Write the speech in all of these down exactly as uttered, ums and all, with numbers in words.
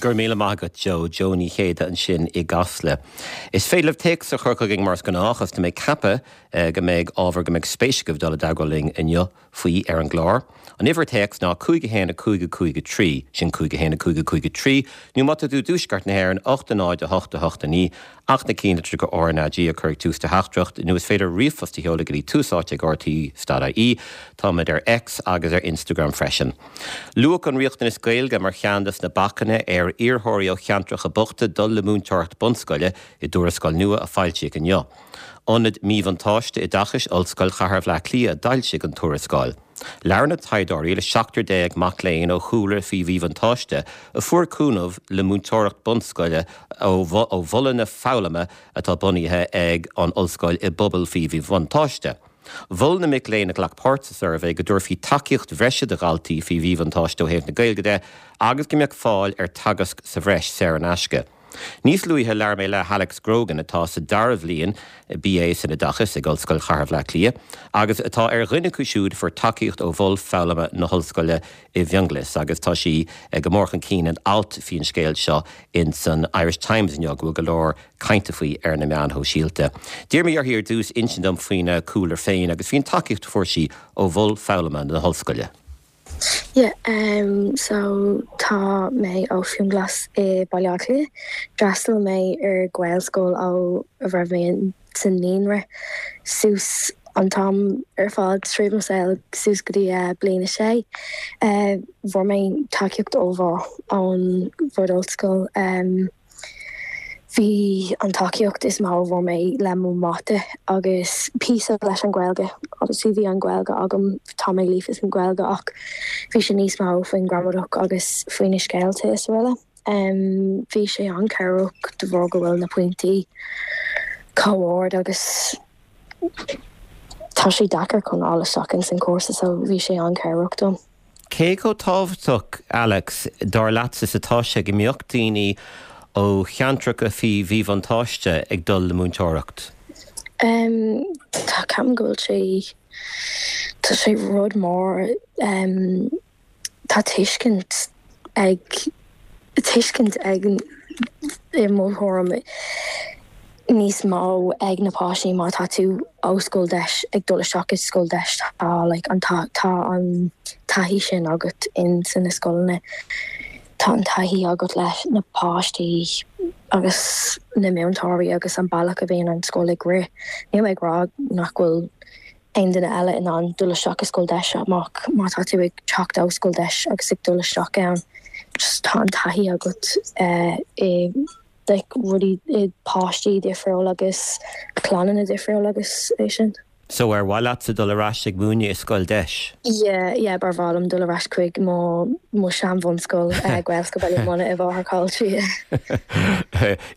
Gur míle maith agat Joe Joe Ní Chéide ansin i gCasla. Is féidir libh téacs a chur chugainn mar is gnách agus tá mé ag ceapadh eh, go mbeidh ábhar go mbeidh spéis agaibh dul i dteagmháil linn inniu faoi ar an gclár. An uimhir téacs ná cúig a haon a cúig a cúig a trí sin cúig a haon a cúig a cúig a trí, nó má tá tú i dtuaisceart na hÉireann ocht a náid a hocht a hocht a naoi ach na cinn go RnaG a chur ag tús do theachtaireacht nó is féidir ríomhphost a sheoladh go dtí Tús Áite ag RTÉ dot IE Táimid ar X agus ar Instagram freisin. Luadh an riachtanas Gaeilge mar cheann de na bacanna ar iarrthóirí ó cheantracha bochta dul le múinteoireacht bunscoile i dtuarascáil nua a foilsíodh inniu. Ionad Míbhuntáiste Oideachais Ollscoil Chathair Bhaile Átha Cliath a d'fhoilsigh an tuarascáil. Labhair na taighdeoirí le seachtar déag mac léinn ó chúlra faoi mhíbhuntáiste a fuair cúnamh le múinteoireacht bunscoile ó mholanna foghlama atá bunaithe ag an ollscoil i bpobal faoi mhíbhuntáiste. Mhol na mic léinn a ghlac páirt sa suirbhé go dtabharfaí tacaíocht bhreise do dhaltaí faoi mhíbhuntáiste ó thaobh na Gaeilge de agus go mbeadh fáil ar teagasc sa bhreis saor in aisce. Níos luaithe labhair mé le Alex Grogan atá sa dara bhliain BA san oideachas ag Ollscoil Chathair Bhaile Átha Cliath, agus atá ar dhuine acu siúd a fuair tacaíocht ó mhol foghlama na hollscoile i bhFionnghlas, agus tá sí go mór chun cinn in alt faoin scéal seo in san Irish Times inniu go bhfuil go leor cainte faoi ar na meáin shóisialta. D'iarr mé uirthi ar dtús insint dom faoina cúlra féin agus faoin tacaíocht a fuair sí ó mhol foghlama na hollscoile. Yeah, um, so tá mé ó Fionnghlas i Baile Átha Cliath. D'fhreastail mé ar Ghaelscoil ó a raibh mé sa naíonra suas an t-am ar fad tríd mo shaol suas go dtí uh, bliain a sé. Uh, Fuair mé tacaíocht ollmhór ón bhord ollscoil. Um, Bhí an tacaíocht is mó a fuair mé le mo mata agus píosa leis an Ghaeilge agus bhí an Ghaeilge agam tá mé líofa san Ghaeilge ach bhí sé níos mó faoin gramadach agus faoi na scéalta is araile. Um, bhí sé an-chabhrach de bharr go bhfuil na pointí chomh hard agus tá sé deacair chun fáil isteach in san cúrsa so bhí sé an-chabhrach dom. Cé chomh tábhachtach Alex dar leatsa is atá sé go mbeadh daoine ó cheantracha faoi mhíbhuntáiste ag dul le múinteoireacht? Um, tá ceapaim go bhfuil sé tá sé rud mór um, tá tuiscint ag tuiscint ag i mo thuairim níos mó ag na páistí má tá tú ó scoil deis ag dul isteach i scoil deis tá like, an tá, tá an taithí sin agat in san na scoileanna. Tá an taithí agat leis na páistí agus na múinteoirí agus an bealach a bhíonn an scoil ag rith. Níl mé ag rá nach bhfuil aon duine eile in ann dul isteach i scoil deis amach má tá tú ag teacht ó scoil deis agus ag dul isteach ann. Just tá an taithí agat uh, i like, rudaí i páistí difriúil agus clanna difriúil agus é sin. So ar mhaith leatsa dul ar ais ag múineadh i scoil deis? Yeah, yeah, ba mhaith liom dul ar ais chuig mo mo sean-bhunscoil uh, Gaelscoil Bhaile Munna i bhFathach Caillte.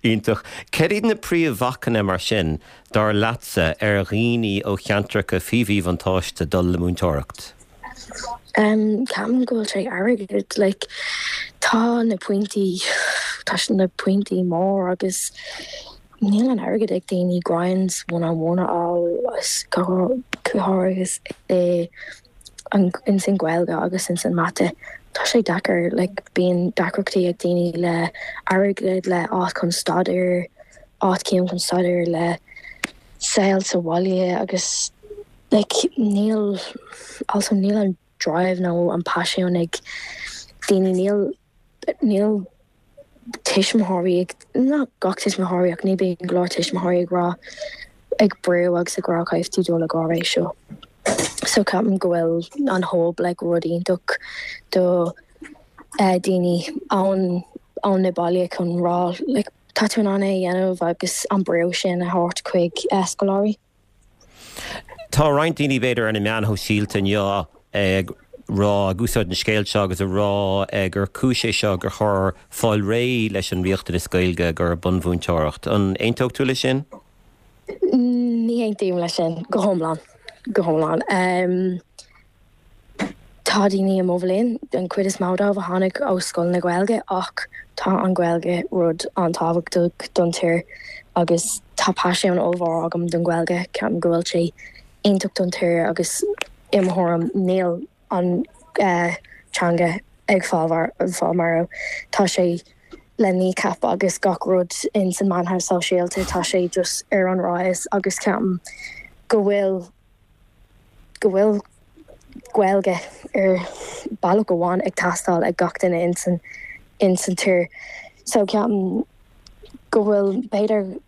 Iontach. Cad iad na príomhbhacanna mar sin dar leatsa ar dhaoine ó cheantracha faoi mhíbhuntáiste dul le múinteoireacht? Um, Ceapaim go bhfuil sé airgead like, tá na pointí tá na pointí mór agus níl an airgead ag daoine grinds one on one á go agus i an in san Ghaeilge agus in san mata. Tá sé deacair like, bíonn deacrachtaí ag daoine le airgead le áit chun staidéar áit ciúin chun staidéar le saol sa bhaile agus like, níl also níl an drive nó an paisean ag daoine níl níl tuismitheoirí ag ná gach tuismitheoirí ach ní bíonn go leor tuismitheoirí ag rá ag brú agus ag rá caithfidh tú dul ag ré seo. So ceapaim go bhfuil an hub like, rud iontach do uh, daoine ann ann na baile chun rá like, tá tú in ann é a dhéanamh agus an brú sin a thabhairt chuig uh, scoláirí. Tá roinnt daoine b'fhéidir ar na meáin shóisialta inniu ag rá ag úsáid an scéal seo agus a rá gur cúis é seo gur chóir fáil réidh leis an riachtanas Gaeilge gur bunmhúinteoireacht. An aontódh tú leis sin? Ní aontaím leis sin go hiomlán go hiomlán. Um, tá daoine i mo bhliain den chuid is mó dóibh a tháinig ó scoil na Gaeilge ach tá an Ghaeilge rud an-tábhachtach don tír agus tá paisean ollmhór agam don Ghaeilge ceapaim go bhfuil sé iontach don tír agus i mo thuairim níl an uh, teanga ag fáil fáil marbh tá sé Le Kneecap agus gach rud in san meáin shóisialta, tá sé just ar an rise agus ceapaim go bhfuil go bhfuil Gaeilge ar bealach amháin ag teastáil ag gach duine in san in san tír. So ceapaim go bhfuil b'fhéidir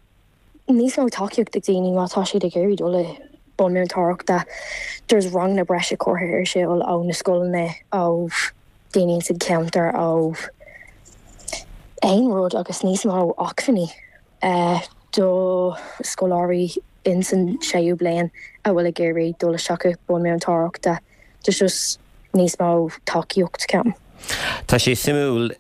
níos mó tacaíocht ag daoine má tá siad ag iarraidh dul i mbun múinteoireachta. There's ranganna breise curtha ar siúl ó na scoileanna, ó daoine sa cheantar, ó aon rud agus níos mó acmhainní uh, do scoláirí in san séú bliain a bhfuil ag iarraidh dul isteach i mbun múinteoireachta. There's just níos mó tacaíocht, ceapaim. Tá sé suimiúil,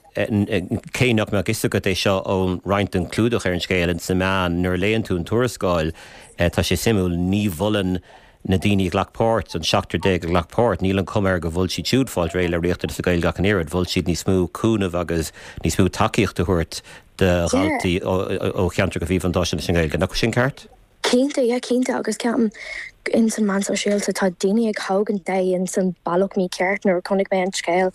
cé nach mbeadh fhios agat é seo ón roinnt den clúdach ar an scéal in sa meán, nuair a léann tú an tuarascáil, tá sé suimiúil, ní mholann na daoine a ghlac páirt, an seachtar déag a ghlac páirt, níl an chuma air go bhfuil siad siúd fáilt réidh le riachtanas na Gaeilge ach an oiread, mhol siad níos mó cúnamh agus níos mó tacaíocht a thabhairt do dhaltaí ó cheantracha faoi mhíbhuntáiste leis an Ghaeilge. Nach sin ceart? Cinnte, yeah, cinnte, agus ceapaim in san meán sóisialta tá daoine ag tógaint é in san bealach mícheart. Nuair a chonaic mé an scéal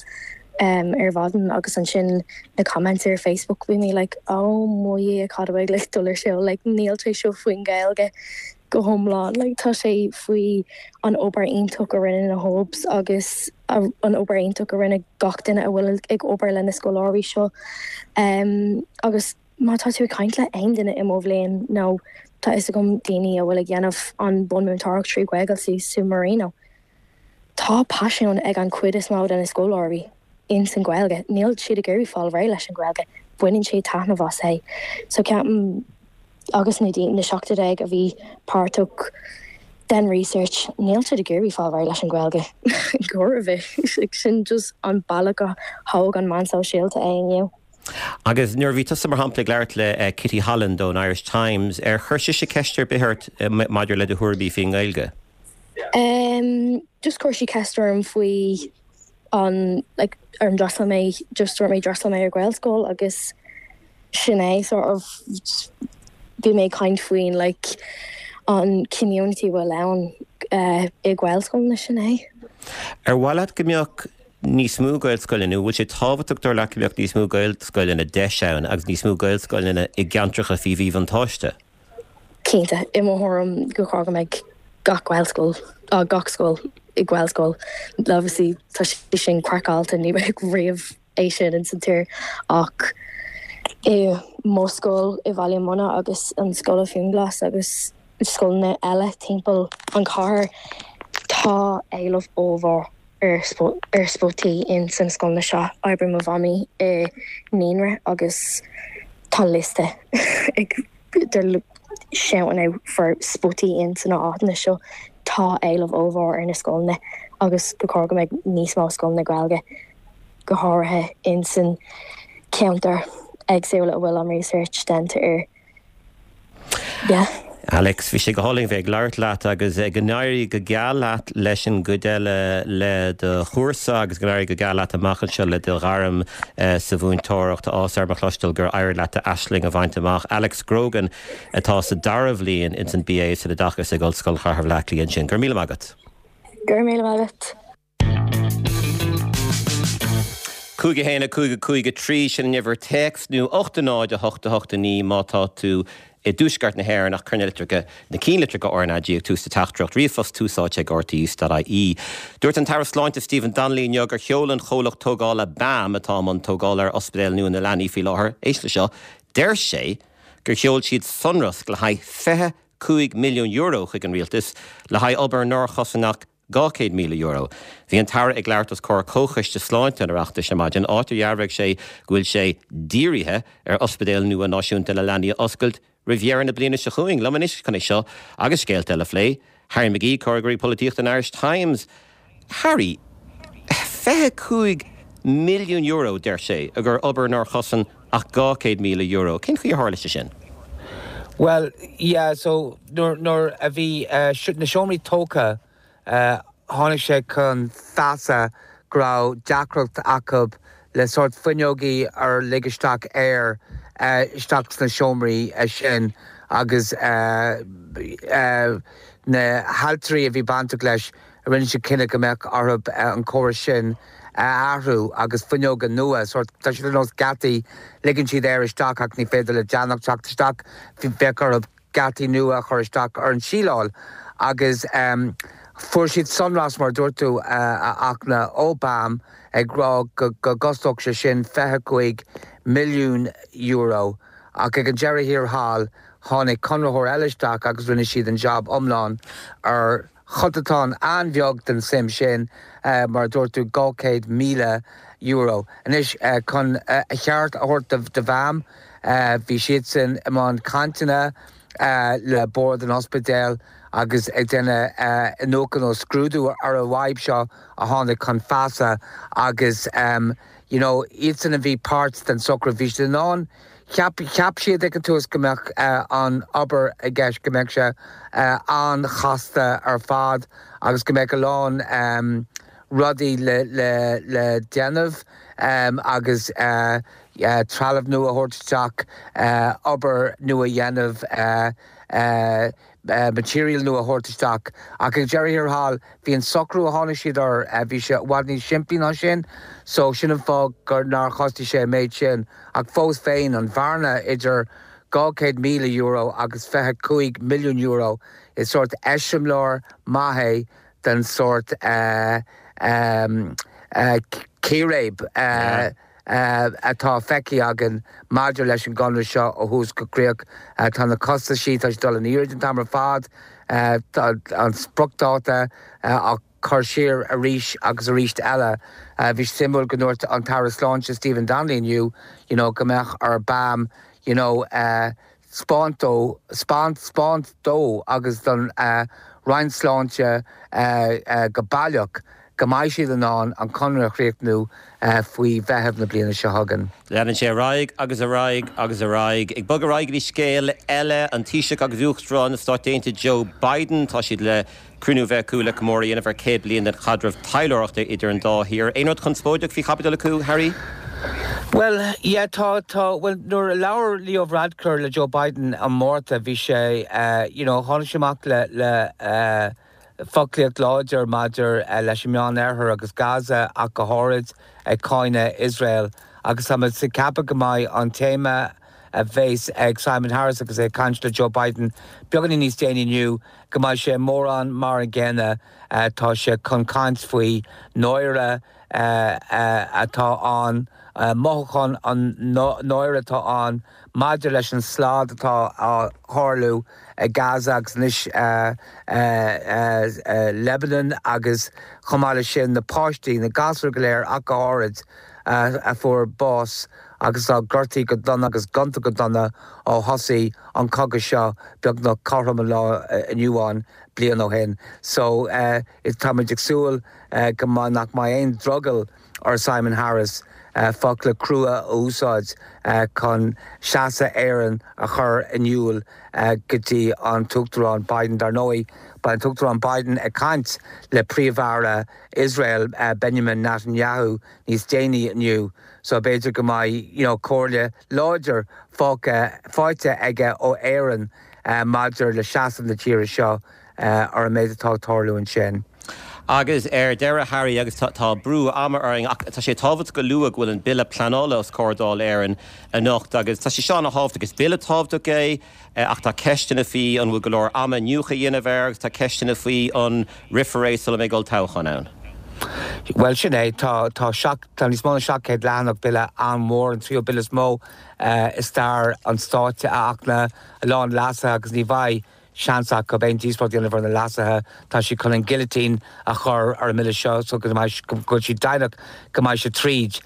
um, ar maidin agus ansin na comments ar Facebook, bhí mé like, "Oh mo Dhia, cad a like dul ar siúl?" Like, níl sé seo faoin Gaeilge go hiomlán, like, tá sé faoi an obair iontach a rinne na hubs agus an obair iontach a rinne gach duine a bhfuil ag obair le na scoláirí seo um, agus má tá tú ag caint le aon duine i mo bhliain nó tá fhios agam daoine a bhfuil ag déanamh an bunmúinteoireacht trí Ghaeilge sa Marino. Tá paisean ag an chuid is mó de na scoláirí in san Ghaeilge. Níl siad ag iarraidh fáil réidh leis an Ghaeilge, baineann sé taitneamh as é. So ceapaim agus na na seachtar déag a bhí páirteach den research, níl siad ag iarraidh fáil réidh leis an Ghaeilge go bhfios sin just an bealach a thóg an meán sóisialta é inniu. Agus nuair bhí tusa mar shampla ag labhairt le uh, Kitty Holland ón Irish Times, ar chuir sise ceist ar bith ort uh, maidir le do thuairimí faoin nGaeilge? Um, just chuir sí ceist orm faoi an like, ar an d'fhreastail mé, just dúirt mé d'fhreastail mé ar Ghaelscoil agus sin é. Sort of bhí mé caint faoin like, an community bhfuil ann uh, i Gaelscoil na sin é. Ar mhaith leat go mbeadh níos mó Gaelscoileanna, bhfuil sé tábhachtach dar leat go mbeadh níos mó Gaelscoileanna deis ann agus níos mó Gaelscoileanna i gceantracha faoi mhíbhuntáiste? Cinnte, i mo thuairim go go mbeidh gach Gaelscoil uh, gach scoil i Gaelscoil. Obviously tá sé sin craiceáilte, ní bheidh riamh é sin in san tír, ach i mo scoil i Bhaile Munna agus an scoil Finglas agus scoileanna eile timpeall an chathair, tá éileamh ollmhór ar ar spotaí in san scoil seo. Oibríonn mo mhamaí i naíonra agus tá liosta ag shouting for spotaí in san áiteanna seo. Tá éileamh ollmhór ar na scoileanna agus go chóir go mbeidh níos mó scoileanna Gaeilge, go háirithe in san ceantar éagsúla a bhfuil an research déanta air. Yeah. Alex, bhí sé go hálainn bheith ag labhairt leat agus go n-éirí go geal leat leis an gcuid eile le do chúrsa agus go n-éirí go geal leat amach anseo le do ghairm uh, sa mhúinteoireacht ás ar mo chloisteáil gur éirigh leat aisling a bhaint amach. Alex Grogan atá sa dara bhliain ins an B A san Oideachas ag Ollscoil Chathair Bhaile Átha Cliath ansin. Gur míle agat. Gur míle agat. Cúig a haon cúig cúig trí, sin an uimhir téacs, nó ocht náid a hocht hocht naoi má tá tú i dtuaisceart na hÉireann, ach cuir na litreacha, na ceannlitreacha R N A G ag tús do theachtaireacht. Ríomhphost túsáite ag R T E dot I E. Dúirt an tAire Sláinte Stephen Donnelly inniu gur sheol an comhlacht tógála B A M, atá i mbun tógála ar Ospidéal Nua na Leanaí faoi láthair, éist le seo, deir sé gur sheol siad sonrasc le haghaidh fiche cúig milliún euro chuig an rialtas le haghaidh obair nár chosain ach dhá chéad míle euro. Bhí an tAire ag labhairt os comhair Comhchoiste Sláinte an Oireachtais ar maidin, áit ar dhearbhaigh sé go bhfuil sé dírithe ar Ospidéal Nua Náisiúnta na Leanaí a oscailt roimh dheireadh na bliana seo chugainn. Liom anois chun é seo agus scéalta eile a phlé, Harry McGee, Comhfhreagraí Polaitíochta an Irish Times. Harry, fiche cúig milliún euro, deir sé, a gur obair nár chosain ach dhá chéad míle euro. Cén chaoi ar tharla sé sin? Well, yeah, so nuair nuair a bhí uh, na seomraí tógtha, uh, tháinig sé chun feasa go raibh deacracht acu le sórt fuinneogaí ar lig isteach aer uh, isteach sna seomraí uh, sin agus uh, uh, na hailtirí a bhí bainteach leis rinne siad cinneadh go mbeadh orthu an córas sin a athrú agus fuinneoga nua, sórt, tá siad ar nós geataí, ligeann siad aer isteach ach ní féidir le deannach teacht isteach, bheadh orthu geataí nua a chur isteach ar an síleáil agus fuair siad sonrasc, mar a dúirt tú, a Fhachtna, ó BAM ag rá go gcostódh sé sin fiche cúig milliún euro ach ag an deireadh thiar thall tháinig conraitheoir eile isteach agus rinne siad an jab iomlán ar chotadán an-bheag den suim sin, mar a dúirt tú, dhá chéad míle euro. Anois, chun a cheart a thabhairt do BAM, bhí siadsan i mbun cainteanna le Bord an Ospidéil agus ag déanamh iniúchadh nó scrúdú ar an bhfadhb seo a tháinig chun feasa agus you know iadsan a bhí páirt den socrú, bhí siad in ann Cheap cheap siad ag an tús go mbeadh an obair i gceist, go mbeadh sé an-chasta ar fad agus go mbeadh a lán rudaí le le le déanamh agus trealamh nua a thabhairt isteach, obair nua a dhéanamh, material nua a thabhairt isteach. Ach ag deireadh thiar thall, bhí an socrú a tháinig siad air, bhí sé i bhfad níos simplí ná sin, so sin an fáth gur nár chostaigh sé an méid sin. Ach fós féin, an bhearna idir dhá chéad míle euro agus fiche cúig milliún euro, is sórt eiseamláir maith é den sórt círéib atá feicthe againn maidir leis an gconradh seo ó thús go críoch. Tá na costaisí, tá siad ag dul in airde an t-am ar fad, tá an spriocdháta á chur siar arís agus arís eile. Bhí sé suimiúil go ndúirt an tAire Sláinte Stephen Donnelly inniu you know go mbeadh ar BAM you know 'spáint dó, 'spáint dó agus don Roinn Sláinte go baileach go mbeidh siad in ann an conradh a chríochnú faoi Mheitheamh na bliana seo chugainn. Leanann sé ar aghaidh agus ar aghaidh agus ar aghaidh. Ag bogadh ar aghaidh go dtí scéal eile, an Taoiseach agus Uachtarán na Stát Aontaithe Joe Biden, tá siad le cruinniú a bheith acu le comóradh a dhéanamh ar céad bliain den chaidreamh taidhleoireachta idir an dá thír. Aon rud conspóideach faoi chaibidil acu, Harry? Bhuel, yeah, tá, tá, bhuel, nuair a labhair Leo Varadkar le Joe Biden an Márta, bhí sé, you know, tháinig sé amach le, le foclaíocht láidir maidir leis an Meánoirthear agus Gaza ach go háirid, ag cáineadh Iosrael. Agus tá muid ag ceapadh go mbeidh an téama a bheas ag Simon Harris agus é ag caint le Joe Biden beagáinín níos déanaí inniu, go mbeidh sé mórán mar an gcéanna. Tá sé chun caint faoi náire atá ann, mothúchán an náire atá ann maidir leis an slad atá á tharlú i Gaza agus anois Lebanon agus chomh maith leis sin na páistí, na gasúir go léir ach go háirid, a fuair bás agus atá gortaithe go dona agus gonta go dona ó thosaigh an cogadh seo beagnach cothrom an lá inniu ann bliain ó shin. So táimid ag súil go mbeidh nach mbeidh aon drogall ar Simon Harris focla crua a úsáid chun seasamh Éireann a chur in iúl go dtí an tUachtarán Biden. Dar ndóigh, beidh an tUachtarán Biden ag caint le Príomh-Aire Iosrael, Benjamin Netanyahu, níos déanaí inniu so b'fhéidir go mbeidh you know comhairle láidir faighte aige ó Éirinn maidir le seasamh na tíre seo ar an méid atá ag tarlú ansin. Agus ar deireadh, Harry, agus tá brú ama orainn, ach tá sé tábhachtach a lua go bhfuil an Bille Pleanála os comhair Dáil Éireann anocht agus tá sé seo ana-thábhachtach. Is bille tábhachtach é ach tá ceisteanna faoi an bhfuil go leor ama iniúchadh a dhéanamh air agus tá ceisteanna faoi an rithfear é sula mbeidh olltoghchán ann. Bhuel, sin é. Tá tá seacht tá níos mó ná seacht gcéad leathanach, bille an-mhór, an tríú bille is mó i stair an stáit a Fhachtna, a lán leasuithe agus ní bheidh seans acu aon díospóireacht a dhéanamh ar na leasuithe. Tá siad chun an guillotine a chur ar an mbille seo so go mbeidh go bhfuil siad deimhneach go mbeidh sé tríd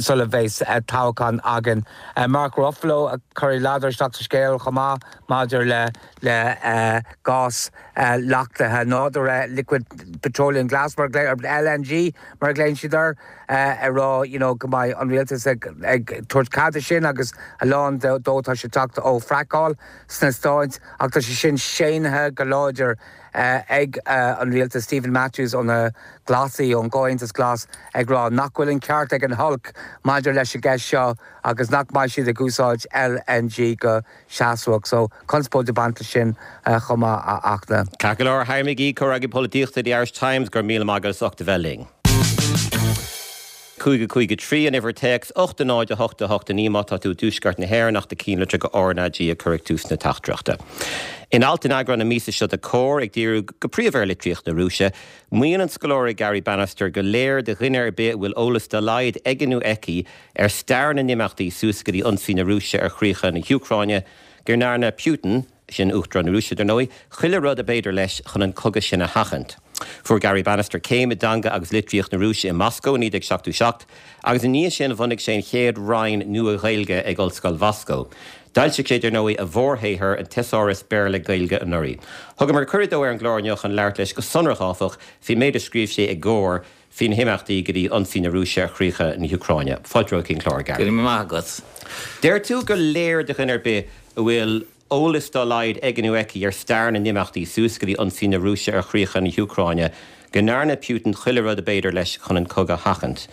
sula bheas toghchán againn. Mark Ruffalo ag cur a ladar isteach sa scéal chomh maith maidir le le gás leachtaithe nádúrtha, liquid petroleum gas mar L N G mar a ghlaonn siad air, ag rá you know go mbeidh an rialtas ag ag tabhairt cead de sin agus a lán dó tá sé ag teacht ó fracáil sna Stáit. ach tá sé sin séanta go láidir ag an rialtas Stephen Matthews ó na Glasaigh ón gComhaontas Glas ag rá nach bhfuil an ceart ag an Hulk maidir leis an gceist seo agus nach mbeidh siad ag úsáid LNG go seasmhach, so conspóid ag baint sin chomh maith a Fhachtna. Ceart go leor Harry McGee comhfhreagraí polaitíochta The Irish Times go raibh míle maith agat as ucht a bheith linn. Cúig cúig trí an uimhir téacs ocht náid a hocht a hocht naoi má tá tú i dtuaisceart na hÉireann ach do chinnlitir go RnaG a chur ag tús na teachtaireachta. In alt in eagrán na míosa seo de Comhar ag díriú go príomha ar litríocht na Rúise, maíonn an scoláire Gary Bannister gur léir do dhuine ar bith a bhfuil eolas dá laghad aige nó aici ar stair na n-imeachtaí suas go dtí ionsaí na Rúise ar chríocha na hÚcráine, go ndearna Putin, sin Uachtarán na Rúise dar ndóigh, chuile rud ab fhéidir leis chun an cogadh sin a sheachaint. Fuair Gary Bannister céim i dteanga agus litríocht na Rúise i Moscó naoi déag seachtó seacht, agus i ndiaidh sin bhunaigh sé an chéad roinn Nua-Ghaeilge ag Ollscoil Mhoscó. D'fhoilsigh sé dar ndóigh a mhórshaothar an Tesáras Béarla-Gaeilge anuraidh. Thugamar cuireadh dó ar an gclár inniu chun labhairt leis go sonrach áfach faoin méid a scríobh sé i gComhar faoi na himeachtaí go dtí ionsaí na Rúise ar chríocha na hÚcráine. Fáilte romhat chuig an gclár, Gary. Go raibh maith agat. Deir tú gur léir do dhuine ar bith a bhfuil eolas dá laghad aige nó aici ar stair na n-imeachtaí suas go dtí ionsaí na Rúise ar chríocha na hÚcráine, go ndearna Putin chuile rud ab fhéidir leis chun an cogadh a sheachaint.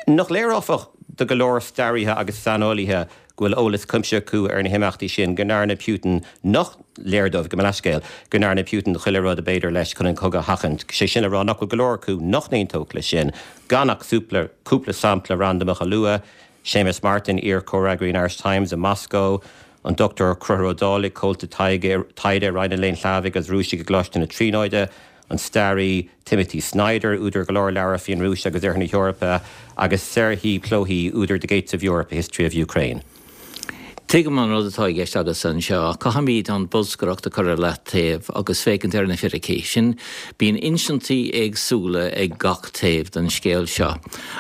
Nach léir áfach do go leor staraithe agus saineolaithe go bhfuil eolas cuimsitheach acu ar na himeachtaí sin, go ndearna Putin nach léir dóibh, gabh mo leithscéal, go ndearna Putin chuile rud ab fhéidir leis chun an cogadh a sheachaint. Sé sin le rá nach bhfuil go leor acu nach n-aontódh leis sin, gan ach cúpla sampla randamach a lua, Séamus Martin, iar-chomhfhreagraí an Irish Times i Moscó, an Dr Conchúr Ó Dálaigh, comhalta taighde i Roinn an Léinn Shlavaigh agus Rúisigh i gColáiste na Tríonóide, an staraí Timothy Snyder, údar go leor leabhar faoin Rúis agus Oirthear na hEorpa, agus Serhiy Plokhy, údar The Gates of Europe, A History of Ukraine. Tuigim an rud atá i gceist agat anseo, caithfimid an bholscaireacht a chur ar leataobh agus féachaint ar na fíricí. Sin bíonn insintí éagsúla ag gach taobh den scéal seo.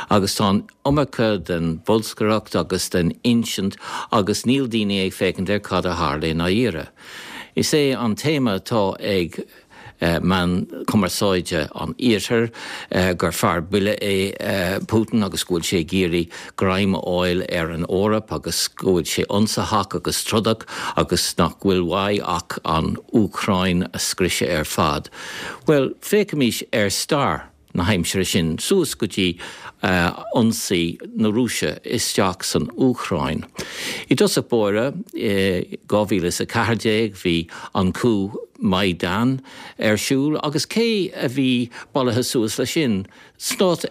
Agus tá an iomarca den bholscaireacht agus den insint agus níl daoine ag féachaint ar cad a tharla i ndáiríre. Is é an téama atá ag meáin cumarsáide an iarthair gur fear buile é Putin agus go bhfuil sé ag iarraidh greim a fháil ar an Eoraip agus go bhfuil sé ionsaitheach agus trodach agus nach bhfuil uaidh ach an Úcráin a scriosadh ar fad. Well, féachaimis ar stair na haimsire sin suas go dtí ionsaí na Rúise isteach san Úcráin. I dtosach báire dhá mhíle is a ceathair déag bhí an coup Maidan ar siúl agus cé a bhí bailithe suas leis sin? Stát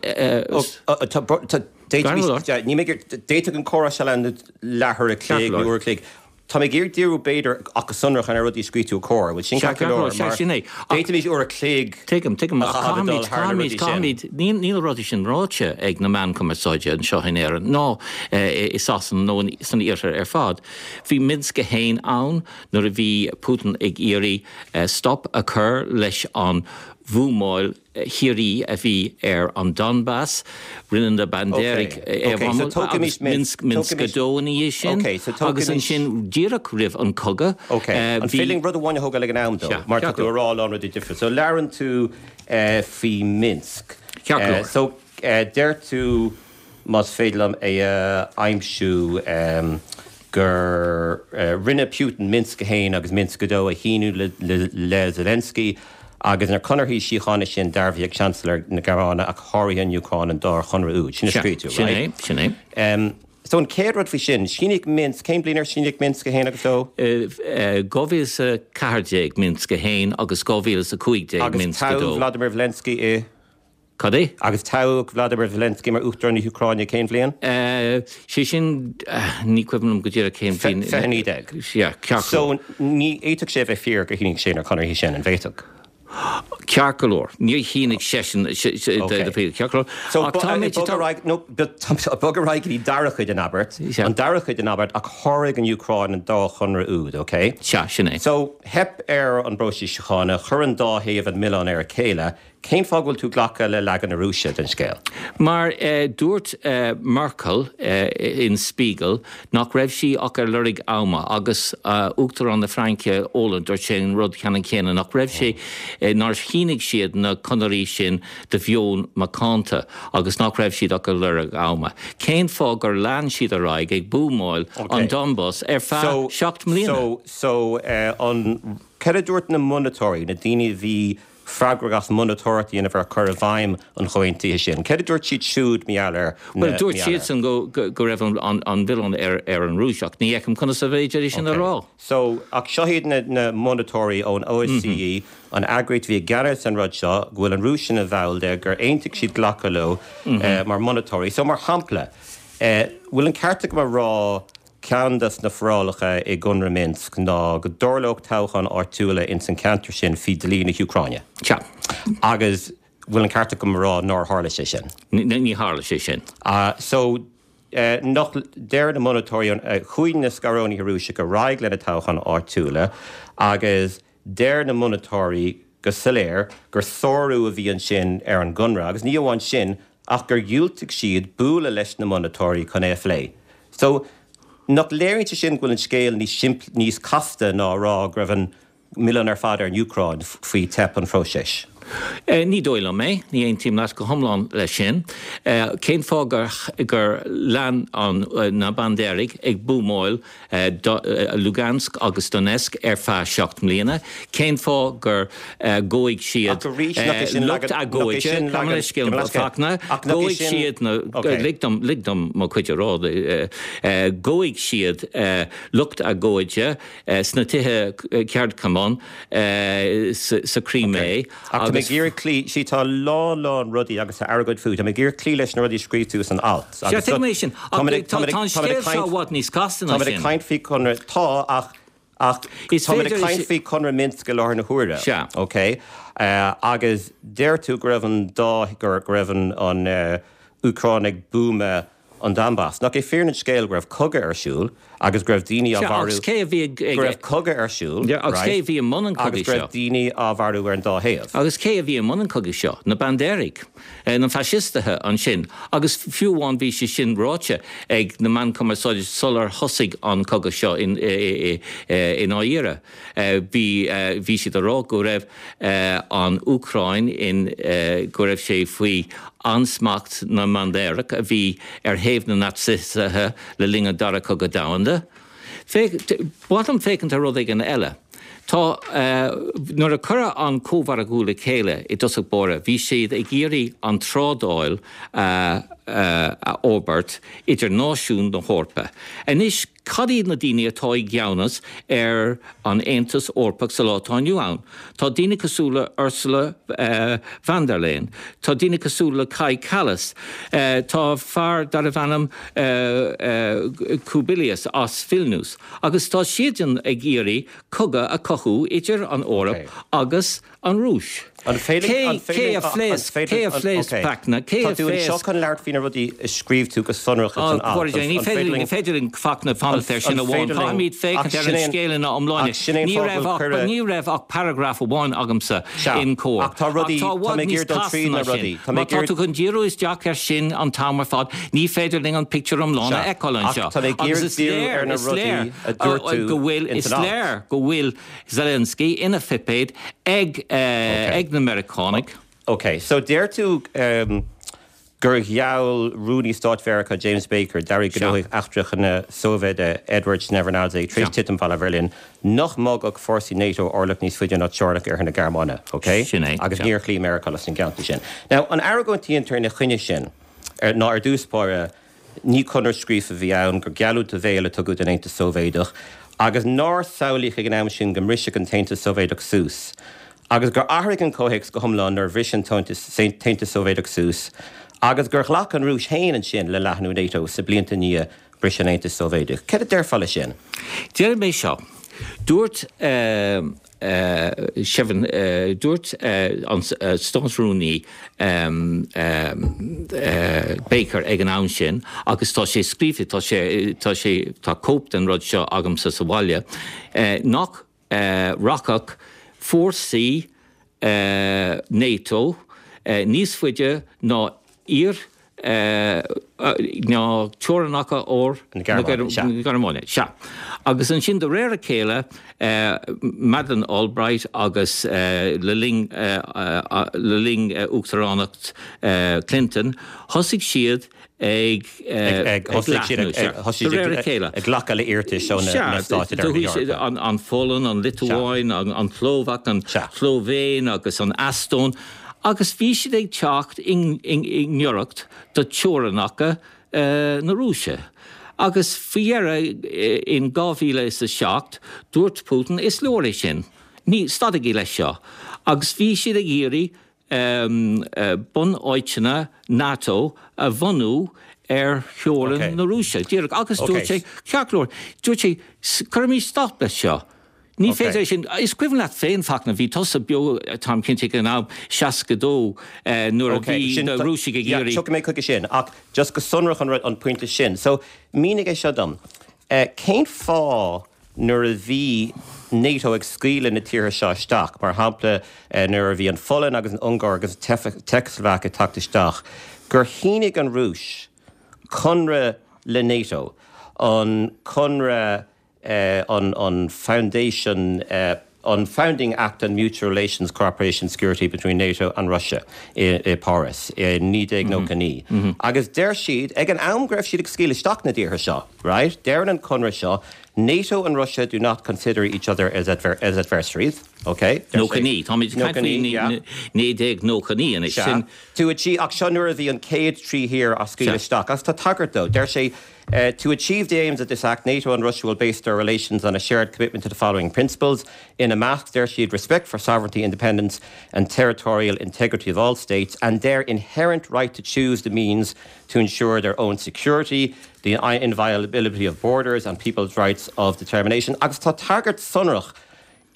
D'fhéadfadh an comhrá seo leanúint leathuair a chloig nó uair a chloig. Tá mé ag iarraidh díriú b'fhéidir ach go sonrach ar na rudaí a scríobh tú i Comhar, bhfuil sin ceart go leor? Sea, sin é. D'fhéadfaimis uair a chloig Tuigim, tuigim, a ach chaitheamh ag dul caithfimid, thar na caithfimid, rudaí sin. caithfimid, níl, níl na rudaí sin ráite ag na meáin cumarsáide anseo in Éirinn ná i Sasana nó san iarthar ar fad. Bhí Minsk a haon ann nuair a bhí Putin ag iarraidh stop a chur leis an bhuamáil shíoraí a bhí ar an Donbass, rinne na Bandéraigh é a bhuamáil agus Minsk, Minsk a dó ina dhiaidh sin agus ansin díreach roimh an cogadh Ok, an féidir linn rud amháin a thógáil ag an am dó, mar tá tú ag rá a lán rudaí difriúla. So labhrann tú faoi Minsk. Ceart go leor. So deir tú, más féidir liom é a aimsiú, gur rinne Putin Minsk a haon agus Minsk a dó a shíniú le Zelensky agus na conarthaí síochána sin dearbhaithe ag Chancellor na Gearmáine ach sháraigh an Úcráin an dá chonradh úd. Sin a scríobh tú, right? Sin é, sin é. So an chéad rud faoi sin, síníodh Minsk, cén bliain ar síníodh Minsk a haon agus dó? Dhá mhíle is a ceathair déag Minsk a haon agus dhá mhíle is a cúig déag Minsk a dó. Agus toghadh Vladimir Zelensky i? Cad é? Agus toghadh Vladimir Zelensky mar Uachtarán na hÚcráine cén bhliain? Sé sin, ní cuimhin liom go díreach cén bhliain. Fiche naoi déag. Sea, ceart go leor. So ní fhéadfadh sé a bheith fíor gur shínigh sé na conarthaí sin, an bhféadfadh? Ceart go leor. Níor shínigh seisean ceart go leor. So bog ar aghaidh, no, bog ar aghaidh go dtí dara cuid den abairt, an dara cuid den abairt, ach sháraigh an Úcráin an dá chonradh úd, ok? Sea, sin é. So theip ar an bpróiseas síochána, chuir an dá thaobh an milleán ar a chéile, Cén fáth go bhfuil tú ag glacadh le leagan na Rúise den scéal? Mar dúirt Merkel in Spiegel nach raibh sí ach ar lorg ama agus Uachtarán na Fraince Hollande dúirt sé an rud ceannann céanna, nach raibh sé, nár shínigh siad na conairí sin de mheon macánta agus nach raibh siad ach ar lorg ama. Cén fáth gur lean siad ar aghaidh ag buamáil an Donbas ar feadh seacht mbliana? So, so, an, céard a dúirt na monatóirí, na daoine a bhí freagrach as monatóireacht a dhéanamh ar chur i bhfeidhm an chomhaontaithe sin. Céard a dúirt siad siúd mar gheall ar na. Bhuel, dúirt siadsan go go raibh an an milleán ar ar an Rúis, ach ní fheicim conas ab fhéidir é sin a rá. So, ach seo iad na na monatóirí ón OSCE, an eagraíocht a bhí i gceannas ar an rud seo, go bhfuil an Rúis ina bhall de, gur aontaigh siad glacadh leo mar mhonatóirí. So, mar shampla, bhfuil an ceart agam a rá Ceann des na forálacha i gConradh Minsk ná go dtarlódh toghcháin áitiúla ins an ceantar sin faoi dlí na hÚcráine. Sea. Agus bhfuil an ceart agam a rá nár tharla sé sin? Ní tharla sé sin. So, nach, deir na monatóirí, chuaigh na scarúnaithe Rúiseacha ar aghaidh le na toghcháin áitiúla agus deir na monatóirí go soiléir gur sárú a bhí ansin ar an gconradh agus ní amháin sin ach gur dhiúltaigh siad bualadh leis na monatóirí chun é a phlé. So, nach léiríonn sé sin go bhfuil an scéal níos simplí, níos casta ná a rá go raibh an milleán ar fad ar an Úcráin faoi teip an phróisis? Ní dóigh liom é. Ní aontaím leat go hiomlán leis sin. Cén fáth gur gur lean an na Bandéaraigh ag buamáil Lugansk agus Donetsk ar feadh seacht mbliana? Cén fáth gur ghabh siad lucht agóide, gabh mo leithscéal, Fachtna, ghabh siad na, lig dom, lig dom mo chuid a rá, ghabh siad lucht agóide sna tithe ceardchumann sa Chrimé agus. Tá mé ag iarraidh cloí, see tá a lán lán rudaí agus tá argóint fút, tá mé ag iarraidh cloí leis na rudaí a scríobh tú san alt. Sea, tuigim é sin, ach tá an scéal seo i bhfad níos casta ná sin. Táimid ag caint faoi conradh, tá, ach Ach táimid ag caint faoi Chonradh Minsk i láthair na huaire. Sea. Ok. Agus deir tú go raibh an dá, go raibh an Úcráin ag buamadh an Donbas. Nach é fírinne an scéil go raibh cogadh ar siúl agus go raibh daoine á Sea, mharú. agus cé a bhí ag, Go raibh cogadh ar siúl, Yeah, agus cé right, a bhí i mbun an agus chogaidh go raibh seo? daoine á mharú ar an dá thaobh. Agus cé a bhí i mbun an chogaidh seo? Na Bandéaraigh. Na faisistithe ansin. Agus fiú amháin bhí sé sin ráite ag na meáin chumarsáide sular thosaigh an cogadh seo i ndáiríre. Bhí bhí siad ag rá go raibh an Úcráin in go raibh sé faoi ansmacht na mBandéarach a bhí ar thaobh na Naitsithe le linn an Dara Cogadh Domhanda. Féach, ba mhaith liom féachaint ar rud éigin eile. Tá, nuair a cuireadh an Cómhargadh le chéile i dtosach báire, bhí siad ag iarraidh an trádáil a fhorbairt idir náisiúin na hEorpa. Anois, cad iad na daoine atá i gceannas ar an Aontas Eorpach sa lá atá inniu ann? Tá daoine cosúil le Ursula von der Leyen, tá daoine cosúil le Kaja Kallas, tá fear darbh ainm Kubilius as Vilnius, agus tá siadsan ag iarraidh cogadh a chothú idir an Eoraip agus an Rúis. An féidir Cé cé a phléasc cé a phléasc Fachtna cé Tá a tú anseo phléasc chun labhairt faoi na rudaí a scríobh tú go sonrach ins an Ó, alt. ní An féidir féidir linn ní linn féidir linn Fachtna fanacht air sin An amháin. féidir linn Caithfimid ach féachaint ar sin an é an scéal ina iomláine. ach sin é an Ní fáth go raibh bhfuil ach cuireadh ní raibh ach paragraf amháin agamsa Sea, in Comhar. ach tá Ach rudaí tá i tá bhfad mé ag níos iarraidh dul casta tríd ná na sin. rudaí. Tá mé Má ag tá iarraidh tú chun díriú isteach air sin an t-am ar fad, ní féidir linn an pictiúr iomlán a Sea, fheiceáil ach anseo. tá mé ag Agus iarraidh is díriú léir ar na is rudaí léir a dúirt tú go bhfuil ins is an alt. léir go bhfuil Zelensky ina phuipéad ag Okay. ag na Meiriceánaigh. Ok, so deir tú um, gur gheall Rúnaí Stáit Mheiriceá James Baker d'Aire Sea. Gnóthaí Eachtracha na Sóivéide Edward Shevardnadze tar éis Sea. titim Bhalla Bheirlín nach mbogfadh fórsaí NATO orlach níos faide ná teorainneacha oirthear na Gearmáine, ok? Sin é, Agus sea. níor chloígh Meiriceá leis an ngealltanas sin. Now, an argóint a dhéantar ina choinne sin ar, ná ar dtús báire ní conradh scríofa a bhí ann, gur geallúint ó bhéal a tugadh don Aontas Sóivéadach, agus nár samhlaíodh ag an am sin go mbrisfeadh an tAontas Sóivéadach suas, agus gur athraigh an comhthéacs go hiomlán nuair a bhris an tAontas Sóivéadach suas, agus gur ghlac an Rúis féin ansin le leathnú NATO sna blianta i ndiaidh briseadh an Aontais Sóivéadaigh. Céard a déarfá leis sin? Déarfaidh mé seo. Dúirt Dúirt an Státrúnaí Baker ag an am sin, agus tá sé scríofa, tá sé, tá sé, tá cóip den rud seo agamsa sa bhaile, nach rachadh fórsaí NATO níos faide ná iar ná teorainneacha ór Na Gearmáine, Gearmáine. Sea. Agus ansin de réir a chéile Madeleine Albright agus le linn le linn uachtaránacht Clinton, thosaigh siad ag ag chéile. Ag glacadh le hiarratais ó na stáit an an Pholainn, an Liotuáin, an tSlóvaic, an tSlóivéin agus an Eastóin, agus bhí siad ag teacht i ngiorracht do teorainneacha na Rúise. Agus faoi dheireadh in dhá mhíle is a seacht dúirt Putin is leor é sin. Ní stadaigí leis seo. Agus bhí siad ag iarraidh bunáiteanna NATO a bhunú ar theorainn na Rúise. Díreach agus dúirt sé ceart go leor, dúirt sé cuirfimid stop leis seo. Ní féidir sin is cuimhin leat féin Fachtna bhí tusa beo táim cinnte ag an am seasca dó nuair a bhí na Rúisigh ag iarraidh. Tiocfaidh mé chuige sin ach just go sonrach an an pointe sin. So mínigh é seo dom. Cén fáth nuair a bhí NATO ag scaoileadh na tíortha seo isteach, mar shampla nuair a bhí an Pholainn agus an Ungáir agus Tseicslóvaic ag teacht isteach, gur shínigh an Rúis conradh le NATO, an conradh an an Foundation an Founding Act on Mutual Relations, Cooperation, Security between NATO and Russia i, i Paris i naoi déag nócha naoi. Agus deir siad ag an am go raibh siad ag scaoileadh isteach na dtíortha seo, right? Deireann an conradh seo, NATO and Russia do not consider each other as, adver as adversaries. Okay? Nócha naoi, Táimid naoi déag nócha naoi anois sin. To achieve ach seo nuair a bhí an chéad trí thír á scaoileadh isteach, agus tá tagairt dó. Deir sé Uh, to achieve the aims of this act, NATO and Russia will base their relations on a shared commitment to the following principles. Ina measc, deir siad respect for sovereignty, independence and territorial integrity of all states and their inherent right to choose the means to ensure their own security, the inviolability of borders and people's rights of determination. Agus tá tagairt sonrach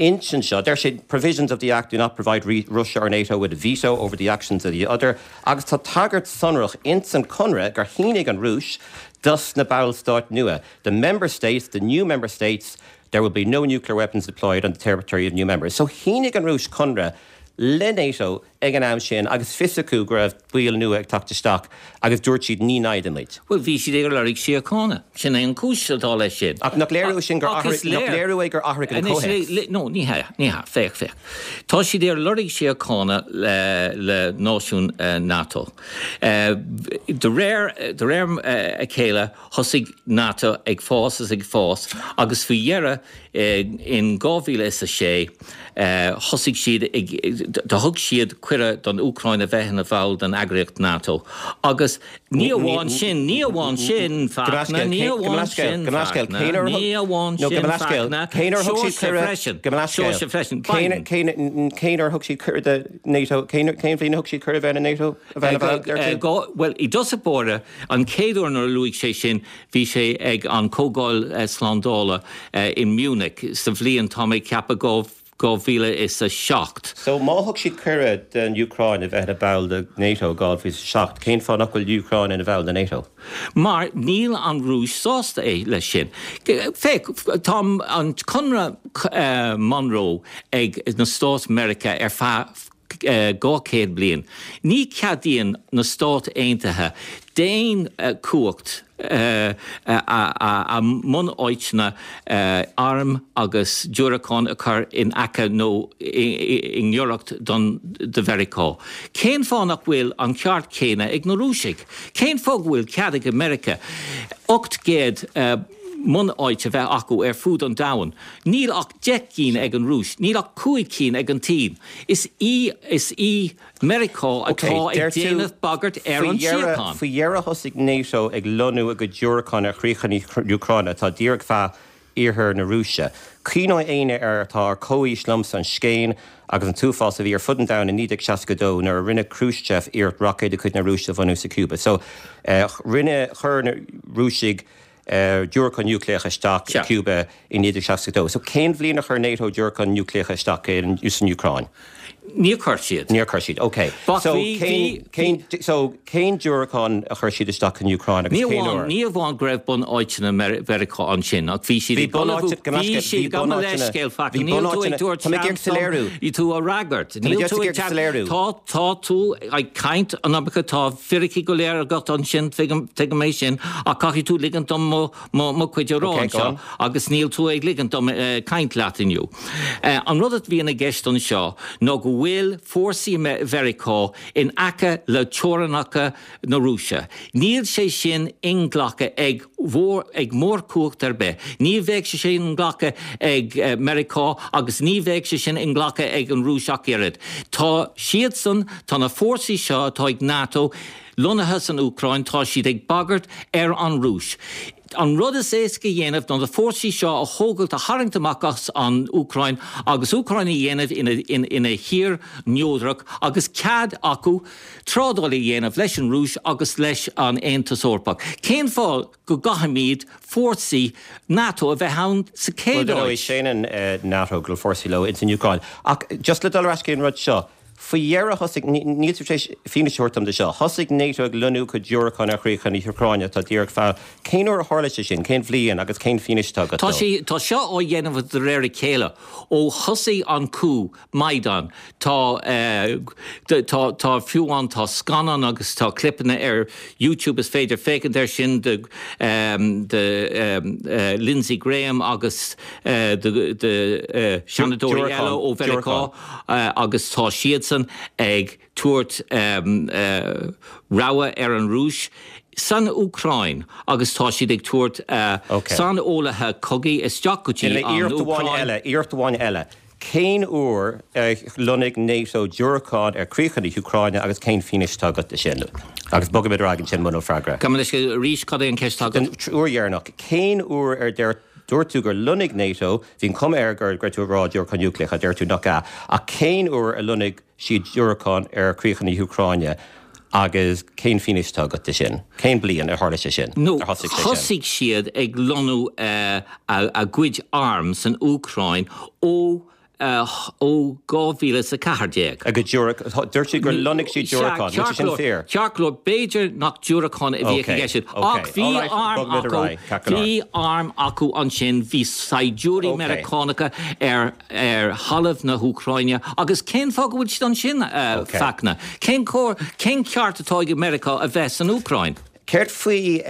ansin seo. Deir sé provisions of the Act do not provide Russia or NATO with a veto over the actions of the other. Agus tá tagairt sonrach insan conradh gur shínigh an Rúis dos na ballstáit nua. The member states, the new member states, there will be no nuclear weapons deployed on the territory of new members. So shínigh an Rúis conradh le NATO ag an am sin agus fios acu go raibh baill nua ag teacht isteach agus dúirt siad ní naimhde muid. Well bhí siad ag lorg síochána, sin é an chúis atá leis sin. Ach nach léiriú sin gur léiriú é gur athraigh an comhthéacs. No, ní hea, ní hea, féach féach. Tá siad ar lorg síochána le, le náisiún uh, NATO. Uh, de réir de réir uh, a chéile thosaigh NATO ag fás is ag fás agus faoi dheireadh in dhá mhíle is a sé thosaigh siad do thug siad cuireadh don Úcráin a bheith ina bhall den eagraíocht NATO. Agus ní amháin sin, ní amháin sin Fachtna, ní amháin sin Fachtna, ní amháin sin Fachtna, Seoirse freisin, Cén uair thug siad cuireadh do NATO, cén bhliain thug siad cuireadh bheith in NATO? Well i dtosach báire an chéad uair nuair a luaigh sé sin bhí sé ag an Comhdháil Slándála in Munich sa bhliain tá mé ag ceapadh dhá dhá mhíle is a seacht. So má thug siad cuireadh don Úcráin a bheith ina ball de NATO dhá mhíle is a seacht, cén fáth nach bhfuil Úcráin ina bhall de NATO? Mar níl an Rúis sásta é leis sin. Féach tá an Conradh Monroe ag na Stáit Meiriceá ar feadh dhá chéad bliain. Ní cheadaíonn na Stáit Aontaithe d'aon cumhacht a mbunáiteanna arm agus diúracán a chur in aice nó i ngiorracht don do Mheiriceá. Cén fáth nach bhfuil an ceart céanna ag na Rúisigh? Cén fáth go bhfuil cead ag Meiriceá ocht gcéad mbunáit a bheith acu ar fud an domhain. Níl ach deich gcinn ag an Rúis, níl ach cúig cinn ag an tSín. Is í is í Meiriceá atá ag déanamh bagairt ar an síocháin. Faoi dheireadh thosaigh NATO ag lonnú a gcuid diúracán ar chríocha na Úcráine atá díreach feadh iarthar na Rúise. Cuimhneoidh éinne ar atá ar comhaois liomsa an scéin agus an t-uafás a bhí ar fud an domhain i naoi déag seasca dó nuair a rinne Khrushchev iarracht roicéid de chuid na Rúise a bhunú sa Cúba. So rinne chuir na Rúisigh diúracán núicléach isteach i Cúba i naoi déag seasca dó. So cén bhliain a chuir NATO diúracán núicléach isteach in san Úcráin? Níor chuir siad. Níor chuir siad, ok. So cén cén so cén diúracán a chuir siad isteach an Úcráin agus cén uair? Ní amháin go raibh bunáiteanna Mheiriceá ansin ach bhí siad ag ullmhú bhí siad gabh mo leithscéal Fachtna níl tú ag tabhairt seans dom tú a fhreagairt. Níl tú ag tá tá tú ag caint an iomarca tá fíricí go léir agat ansin tuigim tuigim é sin ach caithfidh tú ligint dom mo mo mo chuid a rá anseo agus níl tú ag ligint dom caint leat inniu. An rud a bhíonn i gceist anseo ná go bhfuil fórsaí Mheiriceá in aice le teorainneacha na Rúise. Níl sé sin inghlactha ag ag mórchumhacht ar bith. Ní bheidh sé sin inghlactha ag Meiriceá agus ní bheidh sé sin inghlactha ag an Rúis ach oiread. Tá siadsan, tá na fórsaí seo atá ag NATO lonnaithe san Úcráin, tá siad ag bagairt ar an Rúis. An rud is éasca a dhéanamh ná na fórsaí seo a thógáilt, a tharraingt amach as an Úcráin agus Úcráin a dhéanamh ina ina thír neodrach agus cead acu trádáil a dhéanamh leis an Rúis agus leis an Aontas Eorpach. Cén fáth go gcaithfimid fórsaí NATO a bheith ann sa chéad áit? Bhuel, séanann NATO go bhfuil fórsaí leo ins an Úcráin. Ach just le dul ar ais go dtí an rud seo, Faoi dheireadh thosaigh, níl tú tar éis fianaise a thabhairt dom de seo, thosaigh NATO ag lonnú cuid diúracán ar chríocha na hÚcráine atá díreach feadh, cén uair a tharla sé sin, cén bhliain agus cén fianaise atá agat dó? Tá sé, tá seo á dhéanamh de réir a chéile ó thosaigh an coup Maidan. Tá, tá, tá fiú amháin, tá scannán agus tá clipeanna ar YouTube is féidir féachaint air sin de, de Lindsey Graham agus de, de Seanadóirí eile ó Mheiriceá agus tá siadsan ag tabhairt rabhadh ar an Rúis san Úcráin agus tá siad ag tabhairt saineolaithe cogaidh isteach go dtí an Úcráin. Iarracht amháin eile. Cén uair a lonnaigh NATO diúracáin ar chríocha na hÚcráine agus cén fianaise atá agat de sin? Agus bogfaimid ar aghaidh ansin muna bhfuil freagra. Gabh mo leithscéal arís, cad é an cheist atá agat? Den uair dheireanach, cén uair ar deir Dúirt tú gur lonnaigh NATO, bhí an chuma air go raibh tú ag rá diúracáin núicléacha, deir tú nach ea, ach cén uair a lonnaigh siad diúracáin ar chríocha na hÚcráine agus cén fianaise atá agat de sin? Cén bliain ar tharla sé sin, ar thosaigh sé sin? Thosaigh siad ag lonnú a gcuid arm san Úcráin ó ó dhá mhíle is a ceathair déag. A gcuid diúracán, dúirt siad gur lonnaigh siad diúracáin, an bhfuil sé sin fíor? Ceart go leor, b'fhéidir nach diúracáin a bhíodh i gceist, ach bhí arm acu, bhí arm acu ansin, bhí saighdiúirí Meiriceánacha ar ar thalamh na hÚcráine agus cén fáth go bhfuil siad ansin, a Fachtna? Cén cóir, cén ceart atá ag Meiriceá a bheith san Úcráin? Céard faoi,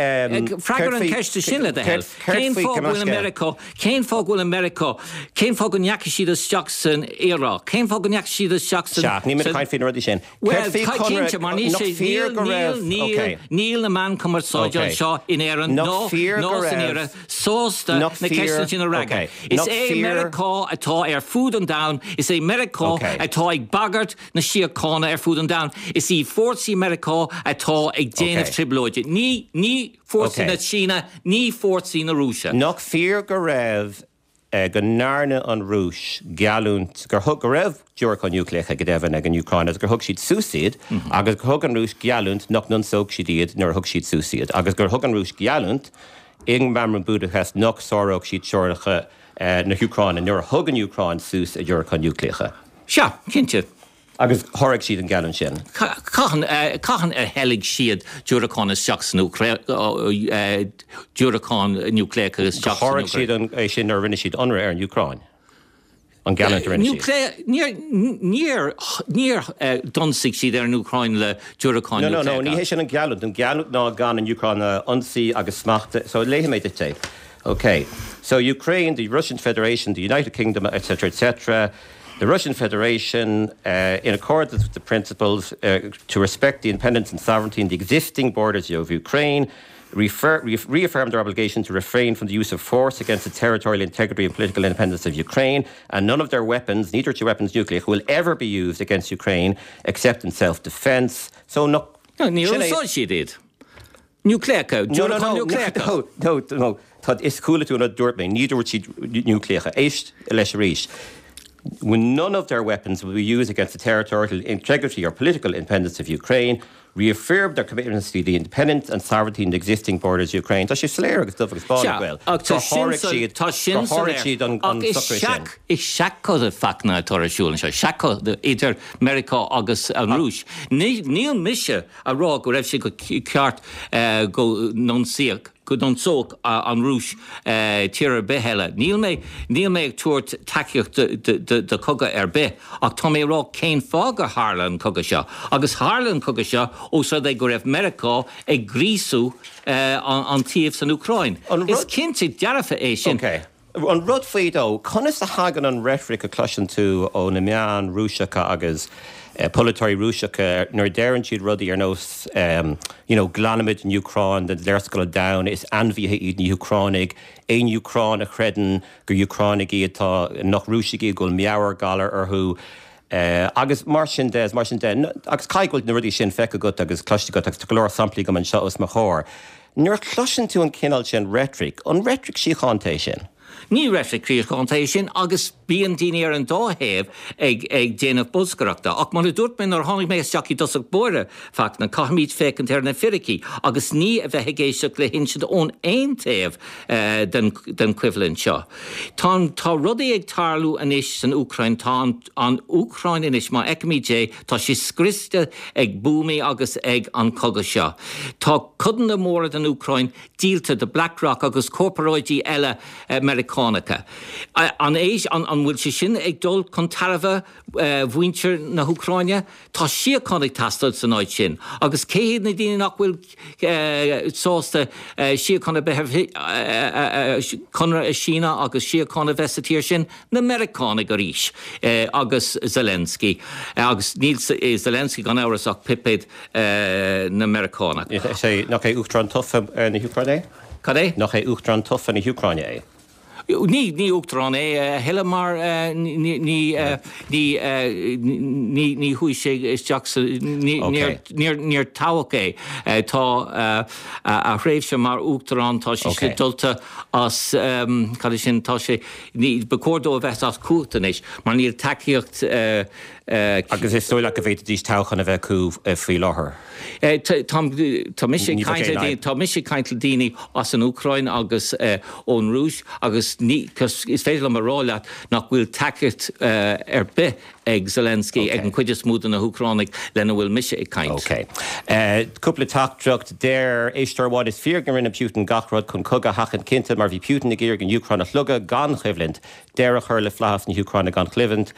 Freagair an cheist sin le do thoil. Cén fáth go bhfuil Meiriceá, cén fáth go bhfuil Meiriceá, cén fáth go ndeachaigh siad isteach san Iaráic, cén fáth go ndeachaigh siad isteach san. Sea, níl mé ag caint faoi na rudaí sin. Bhuel, cinnte, mar níl sé, níl, níl, níl, níl na meáin chumarsáide anseo in Éirinn ná, ná san Iarthar sásta na ceisteanna sin a fhreagairt. Is é Meiriceá atá ar fud an domhain, is é Meiriceá atá ag bagairt na síochána ar fud an domhain. Is í fórsaí Meiriceá atá ag déanamh trioblóide. Ní, ní fórsaí na Síne, ní fórsaí na Rúise. Nach fíor go raibh, go ndearna an Rúis geallúint, gur thug, go raibh diúracáin núicléacha go deimhin ag an Úcráin agus gur thug siad suas iad agus gur thug an Rúis geallúint nach n-ionsódh siad iad nuair a thug siad suas iad agus gur thug an Rúis geallúint i Meamram Budapest nach sáródh siad teorainneacha na hÚcráine nuair a thug an Úcráin suas a diúracáin núicléacha. Sea, cinnte. Agus sháraigh siad an gheallúint sin. Cathain cathain a theilg siad diúracáin isteach san Úcráin, diúracáin núicléacha isteach san Úcráin? Sháraigh siad an é sin nuair a rinne siad ionradh ar an Úcráin. An gheallúint a rinne siad. Níor, níor, níor d'ionsaigh siad ar an Úcráin le diúracáin núicléacha. No, no, no, ní hé sin an gheallúint. An gheallúint ná gan an Úcráin a ionsaí agus smacht a, so léifidh mé duit é. Ok. So Ukraine, the Russian Federation, the United Kingdom, etc, etc, the Russian Federation, uh, in accordance with the principles uh, to respect the independence and sovereignty and the existing borders of Ukraine, refer, re reaffirmed their obligation to refrain from the use of force against the territorial integrity and political independence of Ukraine, and none of their weapons, neither two weapons nuclear, will ever be used against Ukraine except in self-defense. So no, no, níor úsáid siad iad. Núicléacha, diúracáin núicléacha. No, no, no, no, tá is chuala tú an rud a dúirt mé, ní dúirt siad núicléacha. Éist leis arís. When none of their weapons will be used against the territorial integrity or political independence of Ukraine, Reaffirmed their commitments to the independence and sovereignty in the existing borders of Ukraine. Tá sé soiléir agus dubh agus bán Sea, bhfuil. ach tá sin siad tá sin gur sháraigh siad an an Ach is socrú sin. seach is seachchogadh Fachtna atá ar siúl anseo, seachchogadh idir Meiriceá agus an Rúis. Ní níl mise a rá go raibh sé go ceart eh, go n-ionsaíodh go n-ionsódh an Rúis eh, tír ar bith eile. Níl mé níl mé ag tabhairt tacaíocht do chogadh ar bith, ach tá mé rá cén fáth gur tharla an cogadh seo. Agus tharla an cogadh seo ós rud é go raibh Meiriceá ag gríosú eh, an, an taobh san Úcráin. An Is rud- cinnte dearfa é sin. Okay. An rud faoi dó, conas a thagann an reitric a chloiseann tú ó na meáin Rúiseacha agus eh, polaiteoirí Rúiseacha nuair deireann siad rudaí ar nós um, you know, glanaimid an Úcráin den léarscáil domhain is ainmhithe iad na hÚcránaigh, aon Úcránach a chreideann gur Úcránaigh iad tá nach Rúisigh iad go bhfuil meabhairghalar orthu. Uh, agus mar sin de mar sin de agus caithfidh na rudaí sin feicthe agat agus cloiste agat agus tá go leor samplaí agam anseo os mo chomhair. Nuair a chloiseann tú an cineál sin reitric, an reitric síochánta é sin. Ní reitric shíochánta é sin agus bíonn daoine ar an dá thaobh ag ag déanamh bolscaireachta. Ach mar a dúirt mé nuair tháinig mé isteach i dtosach báire Fachtna caithfimid féachaint ar na fíricí, agus ní a bheith ag éisteacht le hinsint ón aon taobh eh, den, den choimhlint seo. Tá, tá rudaí ag tarlú anois san Úcráin tá an, an Úcráin anois má fheicimid é tá sé scriosta ag buamaí agus ag an cogadh seo. Tá codanna móra den Úcráin díolta do BlackRock agus corparáidí eile eh, Meiriceánacha. An éis an, an bhfuil sé sin ag dul chun tairbhe eh, mhuintir na hÚcráine, Tá síocháin ag teastáil san áit sin. Agus cé hiad na daoine nach bhfuil eh, sásta eh, síocháin a bheith conradh a shíneadh agus síocháin a bheith sa tír sin na Meiriceánaigh arís eh, agus Zelensky agus níl Zelensky gan amhras ach puipéad eh, na Meiriceánach. sé nach é Uachtarán tofa na hÚcráine é? Cad é? Nach é Uachtarán tofa na hÚcráine é. Ní ní uachtarán é thuilleadh mar ní ní ní ní chuaigh sé isteach níor toghadh é tá a thréimhse mar uachtarán tá sé sé dulta as cad sin tá sé ní ba chóir dó a bheith as cumhacht anois mar níl tacaíocht Agus is dóigh leat go bhféadfaidís toghchán a bheith acu faoi láthair. Tá mise tá mise ag caint le daoine as an Úcráin agus ón Rúis agus ní is féidir liom a rá leat nach bhfuil tacaíocht ar bith ag Zelensky ag an chuid is mó de na hÚcránaigh lena bhfuil mise ag caint. Ok. Cúpla teachtaireacht deir éisteoir amháin is fíor go rinne Putin gach rud chun cogadh a sheachaint cinnte mar bhí Putin ag iarraidh an Úcráin a shlogadh gan choimhlint, deireadh a chur le flaitheas na hÚcráine gan choimhlint.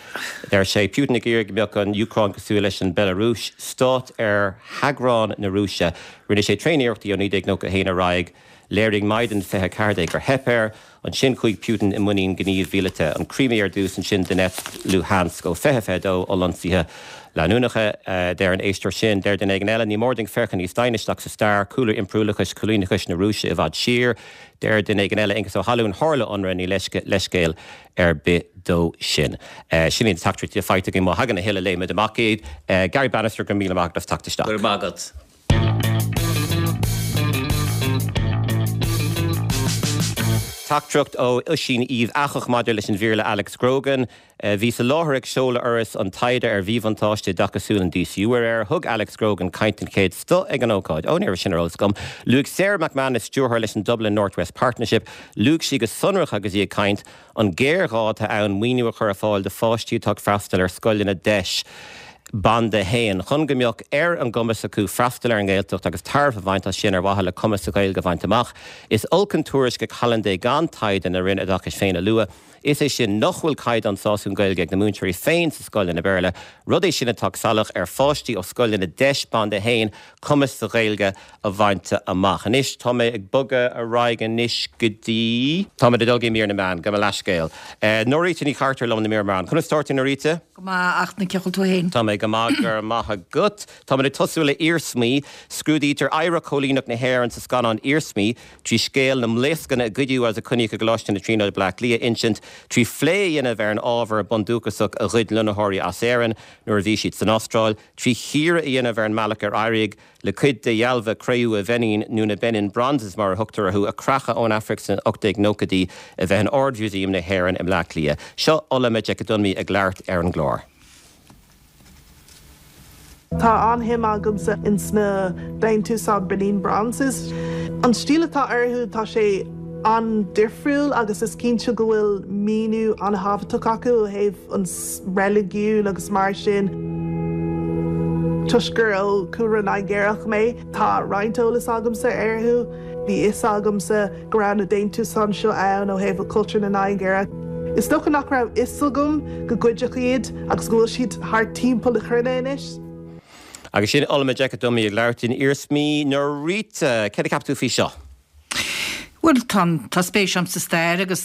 Deir sé Putin ag iarraidh go mbeadh an Úcráin cosúil leis an Belarúis, stát ar theaghrán na Rúise. Rinne sé tréaniarrachtaí ó naoi déag nócha a haon ar aghaidh, léirigh Maidan fiche ceathair déag gur theip air, ansin chuaigh Putin i muinín gníomh mhíleata, an Crimea ar dtús, ansin Donetsk, Luhansk ó fiche fiche dó, ollionsaithe leanúnacha, deir an éisteoir sin. Deir duine éigin eile, ní mór dúinn féachaint níos doimhne isteach sa stair, cúlra impiriúlachais, coilíneachais na Rúise i bhfad siar. Deir duine éigin eile, Aengus Ó hAlmhain, tharla ionradh, ní leithscéal ar bith dó sin. Sin iad na teachtaireachtaí faighte againn, má thagann a thuilleadh léifimid amach iad. Garry Bannister, go raibh míle maith agat as teacht isteach. Go raibh maith agat. Teachtaireacht ó Oisín Uíbh Eachach maidir leis an mhír le Alex Grogan. Bhíos i láthair ag seoladh Fhoras an Taighde ar Mhíbhuntáiste Oideachasúil an DCU aréir. Thug Alex Grogan caint den chéad scoth ag an ócáid. Ó, ní raibh sin ar eolas agam. Luaigh Sarah McManus, stiúrthóir leis an Dublin North West Partnership, luaigh sí go sonrach agus í ag caint an géarghá atá ann maoiniú a chur ar fáil do pháistí atá ag freastal ar scoileanna DEIS. Banda a haon, chun go mbeadh ar an gcumas acu freastal ar an nGaeltacht agus tairbhe a bhaint as sin ar mhaithe le cumas sa Ghaeilge a bhaint amach. Is olc an tuairisc a chailleann é gan taighde na Roinne Oideachais féin a lua, is é sin nach bhfuil caighdeán sásúil Gaeilge ag na múinteoirí féin sa scoileanna Béarla, rud é sin atá salach ar pháistí ó scoileanna DEIS Banda a haon cumas sa Ghaeilge a bhaint amach. Anois tá mé ag bogadh ar aghaidh anois go dtí. Tá mé ag dul go mír na meán, gabh mo leithscéal. Norita Ní Chartúir liom do mír na meán. Conas tá tú Norita? Go maith ach na cén chaoi a bhfuil tú féin. Tá mé go maith go raibh maith agat. Tá mé ag tosú le Iarsmaí. Scrúdaítear oidhreacht choilíneach na hÉireann sa scannán Iarsmaí trí scéal na mblaoscanna a goideadh agus a coinníodh i gColáiste na Tríonóide Bleá Cliath a insint, trí phlé a dhéanamh ar an ábhar bundúchasach a ghoid lonnaitheoirí as Éirinn nuair a bhí siad san Astráil, trí chíoradh a dhéanamh ar an mbealach ar éirigh le cuid de dhealbha cré-umha Bheinin, nó na Benin Bronzes mar a thugtar orthu, a creachadh ón Afraic sna ocht déag nóchaidí, a bheith in Ard-Mhúsaem na hÉireann i mBleá Cliath. Seo Ola Majekodunmi ag labhairt ar an gclár. Tá an-shuim agamsa ins na déantúsáin Benin Bronzes. An stíl atá orthu tá sé an-difriúil agus is cinnte go bhfuil míniú an-thábhachtach acu ó thaobh an reiligiún agus mar sin. Toisc gur ó chúlra Nigéarach mé tá roinnt eolas agamsa orthu, bhí fhios agamsa go raibh na déantúsáin seo ann ó thaobh cultúr na Nigéire. Is dócha nach raibh fhios agam gur goideadh iad agus go bhfuil siad thar timpeall na cruinne anois. Agus sin Olma Jekadumi ag labhairt in Iarsmaí na Rite. Céard a cheap tú faoi seo? Bhuel tá tá spéis agam sa stair agus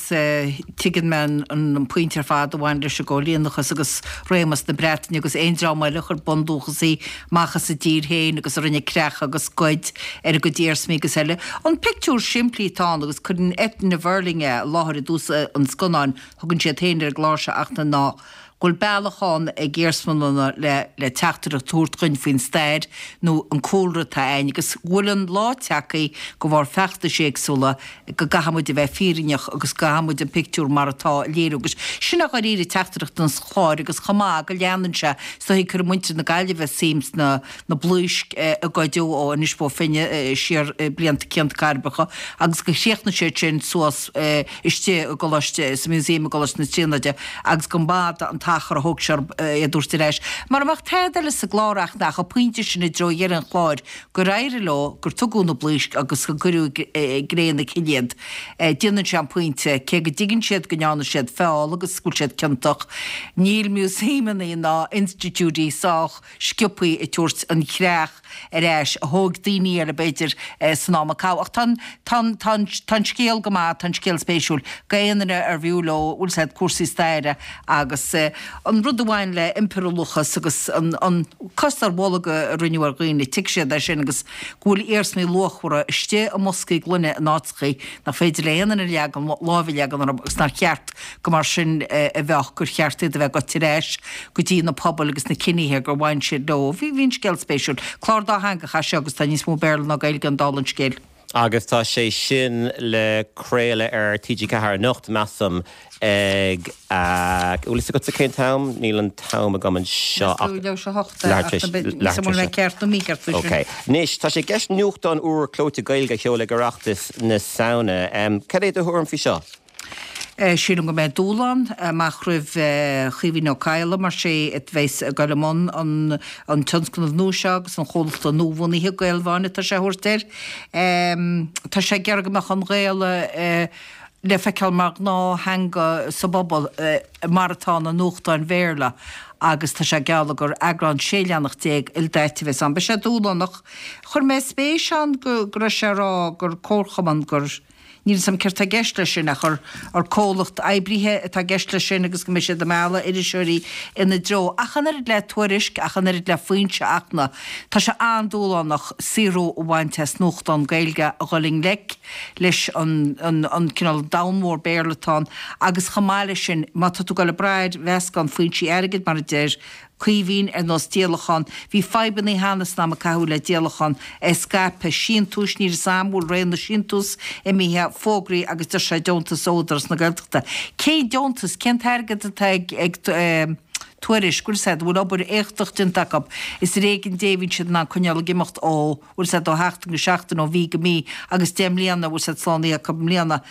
tuigeann mé an pointe ar fad a bhain leis an gcóilíneachas agus réimeas na Breataine agus aon dream eile a chuir bundúchasaigh amach as a dtír féin agus a rinne creach agus goid ar a gcuid iarsmaí agus eile. An pictiúr simplí atá ann agus cuireann Eithne Verling é i láthair i dtús an scannáin, thugann siad féin ar an gclár seo ach ná go bhfuil bealach ann ag iarsmalanna le le teachtaireacht a thabhairt dhuinn faoin stair nó an cúlra atá againn agus go bhfuil an lá tagtha de bharr feachtais éagsúla go gcaithfidh muid a bheith fírinneach agus go gcaithfidh muid an pictiúr mar atá a léiriú agus sin a dháiríre teachtaireacht an chláir agus chomh maith go leanann sé is dóigh cuireann muintir na Gaillimhe suim sna na blaoisc a goideadh ó Inis Bó Finne siar blianta cianta cairbreacha agus go chríochnaigh siad sin suas istigh i gColáiste sa Museum i gColáiste na Tríonóide agus go mb'fhada an t-achar a thóg sé iad a thabhairt ar ais. Mara mbeadh tada eile sa gclár ach nach an pointe sin i dtreo dheireadh an chláir gur éirigh leo, gur tugadh na blaoisc agus gur cuireadh i gcré na cille iad. Déanann sé an pointe, cé go dtuigeann siad go ndearna siad feall agus go bhfuil siad ciontach, níl músaemanna ná institiúidí sách sciobtha ag tabhairt an chreach ar ais a thóg daoine eile b'fhéidir san am a caitheadh. Ach tá an, tá an, tá an, tá an scéal go maith, tá an scéal spéisiúil. D'aon duine ar bhfiú leo, bhfuil 's a'd, cúrsaí staire agus an rud a bhain le impiriúlachas agus an, an cos ar bholg a rinneadh ar dhaoine, tuigfidh siad é sin agus go bhfuil iarsmaí luachmhara istigh i mboscaí gloine in áiteachaí nach féidir le aon duine leagan, lámh a leagan orthu agus nár cheart go mar sin a bheadh, gur cheart iad a bheith goite ar ais go dtí na pobail agus na ciníthe gur bhain siad leo. Bhí, bhí an scéal spéisiúil. Clár dátheangach é seo agus tá níos mó Béarla ná Gaeilge ann dála an scéil. Agus tá sé sin le craoladh ar T G ceathair anocht, measaim, ag, bhfuil fhios agatsa cén t-am? Níl an t-am agam anseo ach leathuair tar éis. Ceart nó mícheart faoi sin. Ok. Anois, tá sé i gceist nuachtán úr clóite Gaeilge a sheoladh ag Oireachtas na Samhna. Cad é do thuairim faoi seo? Sílim go mbeidh dúshlán amach roimh Chaoimhín Ó Cadhla mar sé a bheas ag dul i mbun an an tionscnamh nua seo agus an chomhlachta nuabhunaithe, Gaelmheáin atá sé a thabhairt air. Tá sé ag iarraidh go mbeadh an Ghaeilge le feiceáil mar ghnáth-theanga sa bpobal mar atá na nuachtáin Bhéarla agus tá sé ag gealladh gur eagrán sé leathanach déag ildaite a bheas ann. Beidh sé dúshlánach. Chuir mé spéis ann go raibh sé ag rá gur comharchumann gur Níl 'fhios a'm céard tá i gceist leis sin ach gur gur comhlacht oibrithe atá i gceist leis sin agus go mbeidh siad ag mealladh iriseoirí ina dtreo. Ach an oiread le Tuairisc, ach an oiread le Foinse ach na, tá sé an-dúshlánach saothrú a bhaint as nuachtán Gaeilge a dhul i ngleic leis an an an cineál domhan mór Béarla atá ann agus chomh maith leis sin má tá tú ag dul ag brath ar mheascán foinsí airgid mar a deir Caoimhín, ar nós díolachán. Bhí fadhbanna cheana san am a caitheadh le díolachán scaipeadh síntiúis, níl 'fhios a'm bhfuil ré na síntiús imithe, fógraí agus deir sé deontas ó Údarás na Gaeltachta. Cén deontas, cén t-airgead atá ag ag Tuairisc, bhfuil 'fhios a'd, bhfuil obair éachtach déanta acu, is ar éigean Dé a bhíonn siad in ann coinneáil ag imeacht ó, bhfuil 'fhios a'd, ó sheachtain go seachtain, ó mhí go mí agus deich mbliana, bhfuil 'fhios a'd, slánaithe acu i mbliana.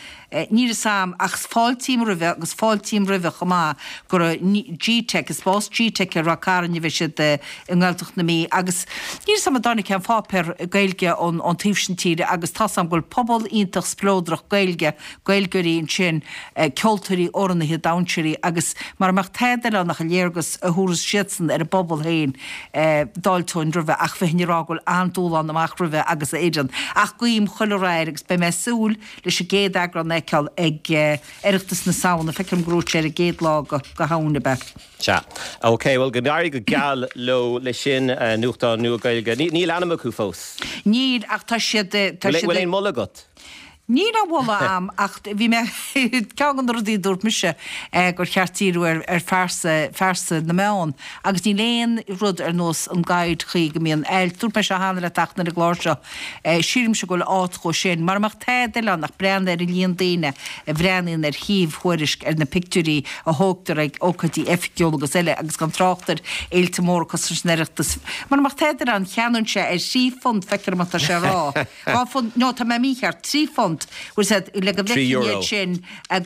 Níl 'fhios a'm, ach fáiltím roimhe agus fáiltím roimhe chomh maith gur i G-Teic, i spás G-Teic ar Ráth Cairn a bheidh siad i nGaeltacht na Mí agus níl 'fhios a'm an dtáinig aon pháipéar Gaeilge ón taobh sin tíre agus tá's a'm go bhfuil pobal iontach spleodrach Gaeilge, Gaeilgeoirí ansin, ceoltóirí, amhránaithe, dainséirí agus mara mbeadh tada eile ann ach an léargas a thabharfas siadsan ar a bpobal féin, d'fháilteoinn roimhe ach bheinn ag rá go bhfuil an-dúshlán amach roimhe agus a fhoireann. Ach guím chuile rath air agus beidh mé ag súil leis an gcéad eagrán a fheiceáil ag Oireachtas na Samhna, feicim go raibh sé ar an gcéad lá de Shamhain, ab ea? Sea. Ok, bhuel go n-éirí go geal leo leis sin, nuachtán nua Gaeilge. Níl ainm acu fós? Níl, ach tá siad, tá siad. Bhfuil aon mholadh agat? Níl á mholadh a'm ach bhí mé, ceann de na rudaí a dúirt mise gur cheart díriú ar ar phearsa, phearsa na meán agus níl aon rud ar nós an guide chaoi go mbíonn ailt, dúirt mé seo cheana le teachtaí ar an gclár seo, sílimse go bhfuil áit dhó sin, mara mbeadh tada eile ann ach breathnú ar an líon daoine a bhreathnaíonn ar shuíomh Thuairisc ar na pictiúirí a thógtar ag ócáidí oifigiúla agus eile agus gan trácht ar fhéilte móra cosúil leis an Oireachtas. Mara mbeadh tada eile ann cheannóinnse ar thrí phunt, feictear dom atá sé a rá. Dhá phunt, no tá mé mícheart, trí phunt, bhfuil 's a'd, le go Trí bhfeicfinn euro. iad sin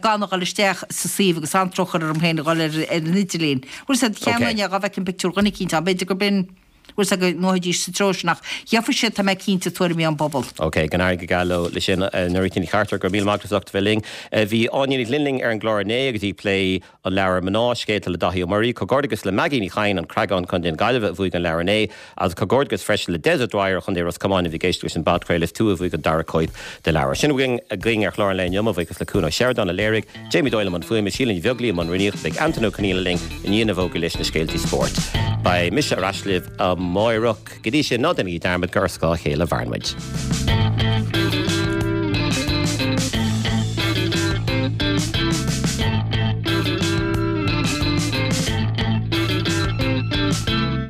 gan a dhul isteach sa suíomh agus an-drochthóir orm féin a dhul ar ar an idirlíon. Bhfuil 's a'd, cheannóinn é dhá bhfeicfinn pictiúr dhuine eicínt ann, b'fhéidir gurb in, bhfuil 's a'd, go ngabhfaidís sa treo sin ach gheobhaidh siad, tá mé cinnte, tuairimí ón bpobal. Ok, go n-éirí go geal leo le sin. Norita Ní Chartúir, go raibh míle maith agat as ucht a bheith linn. Bhí Áine Ní Ghlinn linn ar an gclár inné agus í ag plé an leabhar Mná, Scéalta le Daithí Ó Muirí. Comhghairdeas le Maggie Ní Chadhain, An Creagán, Contae na Gaillimhe, a bhuaigh an leabhar inné, agus comhghairdeas freisin le Des O'Dwyer ó Chontae Ros Comáin a bhí ag éisteacht leis an bpodchraoladh. Is tú a bhuaigh an dara cóip de leabhar. Sin a bhí againn ar chlár an lae inniu. Mo bhuíochas le Cuan Ó Seireadáin a léirigh, Jamie Doyle i mbun fuaime, Síle Ní Bheaglaoí i mbun rúnaíochta. Beidh Antain Ó Conghaile linn i ndiaidh na bhfógraí leis na scéaltaí spóirt. Beidh mise ar ais libh amáireach. Go dtí sin, ná déanaigí dearmad gur ar scáth a chéile a mhaireann muid.